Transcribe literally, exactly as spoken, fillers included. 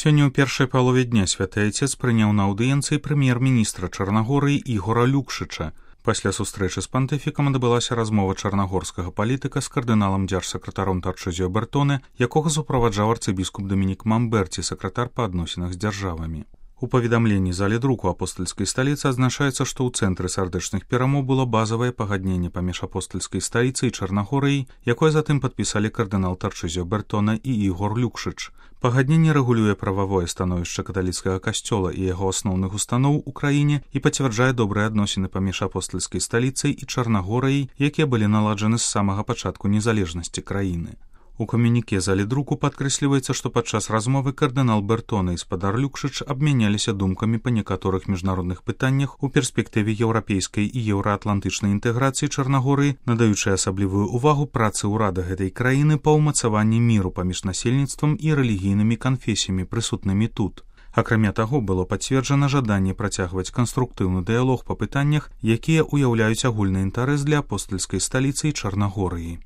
Сёння ў першай палове дня святы айцец прыняў на аўдыенцыі прэм'ер-міністра Чарнагорыі Ігора Люкшыча. Пасля сустрэчы з пантыфікам адбылася размова чарнагорскага палітыка з кардыналам дзяржсакратаром Тарчызіо Бертоне, якога суправаджаў арцыбіскуп Дамінік Мамберці, сакратар па адносінах з дзяржавамі. У паведамленні зале друку апостальскай сталіцы адзначаецца, што ў цэнтры сардэчных перамоў было базавае пагадненне паміж апостальскай сталіцай і Чарнагорыяй, якое затым падпісалі кардынал Тарчызіо Бертона і Ігор Люкшыч. Пагадненне рэгулюе прававое становішча каталіцкага касцёла і яго асноўных устаноў у краіне і пацвярджае добрыя адносіны паміж апостальскай сталіцай і Чарнагорыяй, якія былі наладжаны з самага пачатку незалежнасці краіны. У камюніке зале друку падкрэсліваецца, што падчас размовы кардынал Бертона і спадар Люкшыч абмяняліся думкамі па некаторых міжнародных пытаннях у перспектыве еўрапейскай і еўраатлантычнай інтэграцыі Чарнагорыі, надаючы асаблівую ўвагу працы ўрада гэтай краіны па ўмацаванні міру паміж насельніцтвам і рэлігійнымі канфесіямі, прысутнымі тут. Акрамя таго, было пацверджана жаданне працягваць канструктыўны дыялог па пытаннях, якія ўяўляюць агульны інтарэс для апостальскай сталіцы і Чарнагорыі.